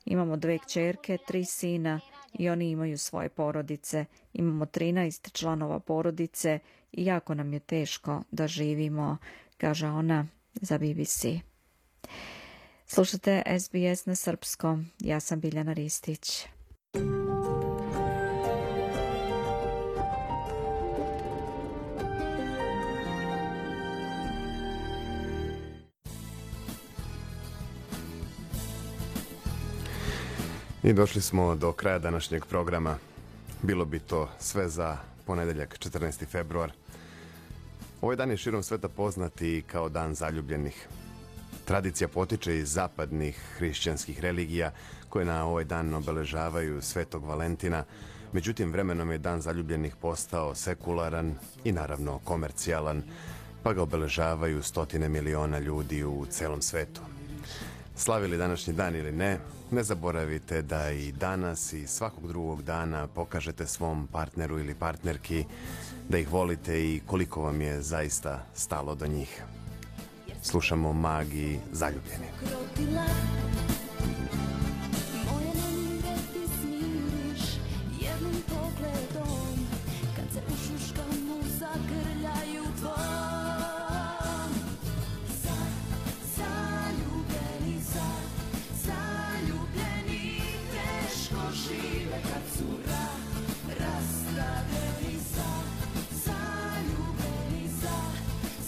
Imamo 2 kćerke, 3 sina i oni imaju svoje porodice. Imamo 13 članova porodice i jako nam je teško da živimo, kaže ona za BBC. Slušate SBS na srpskom. Ja sam Biljana Ristić. I došli smo do kraja današnjeg programa. Bilo bi to sve za ponedeljak, 14. februar. Ovaj dan je širom sveta poznati kao Dan zaljubljenih. Tradicija potiče iz zapadnih hrišćanskih religija koje na ovaj dan obeležavaju Svetog Valentina. Međutim, vremenom je Dan zaljubljenih postao sekularan i naravno komercijalan, pa ga obeležavaju stotine miliona ljudi u celom svetu. Slavili današnji dan ili ne, ne zaboravite da i danas i svakog drugog dana pokažete svom partneru ili partnerki da ih volite i koliko vam je zaista stalo do njih. Slušamo Magi Zaljubljeni.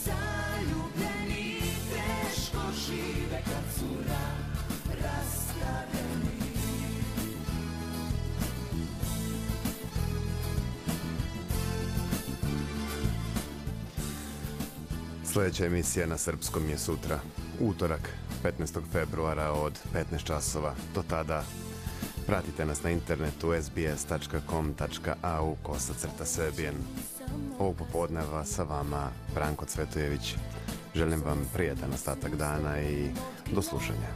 Zaljubljeni teško žive Sljedeća emisija na srpskom je sutra, utorak, 15. februara od 15 časova. Do tada pratite nas na internetu sbs.com.au/Serbian. Ovog popodneva sa vama Branko Cvetojević. Želim vam prijatan ostatak dana i do slušanja.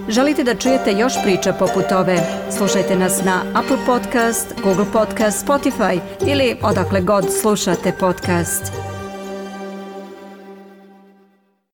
Želite da čujete još priča poput ove? Slušajte nas na Apple Podcast, Google Podcast, Spotify ili odakle god slušate podcast.